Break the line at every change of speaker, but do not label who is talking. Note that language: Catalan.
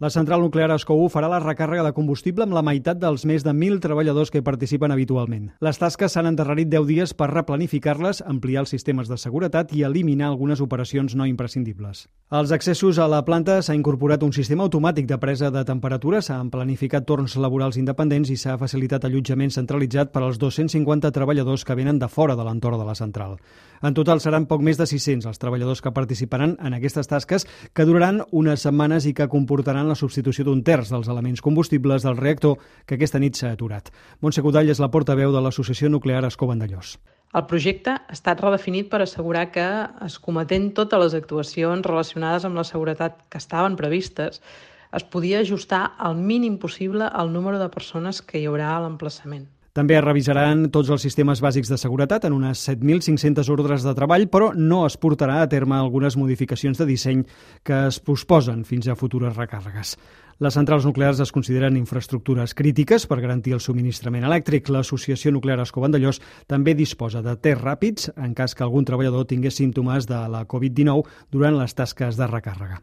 La central nuclear Escó 1 farà la recàrrega de combustible amb la meitat dels més de 1.000 treballadors que hi participen habitualment. Les tasques s'han endarrerit 10 dies per replanificar-les, ampliar els sistemes de seguretat i eliminar algunes operacions no imprescindibles. Als accessos a la planta s'ha incorporat un sistema automàtic de presa de temperatura, s'han planificat torns laborals independents i s'ha facilitat allotjament centralitzat per als 250 treballadors que venen de fora de l'entorn de la central. En total seran poc més de 600 els treballadors que participaran en aquestes tasques, que duraran unes setmanes i que comportaran la substitució d'un terç dels elements combustibles del reactor que aquesta nit s'ha aturat. Montse Godall és la portaveu de l'Associació Nuclear Escó Vandellòs.
El projecte ha estat redefinit per assegurar que, escometent totes les actuacions relacionades amb la seguretat que estaven previstes, es podia ajustar al mínim possible el número de persones que hi haurà a l'emplaçament.
També es revisaran tots els sistemes bàsics de seguretat en unes 7.500 ordres de treball, però no es portarà a terme algunes modificacions de disseny que es posposen fins a futures recàrregues. Les centrals nuclears es consideren infraestructures crítiques per garantir el subministrament elèctric. L'Associació Nuclear Escó Vandellòs també disposa de tests ràpids en cas que algun treballador tingués símptomes de la Covid-19 durant les tasques de recàrrega.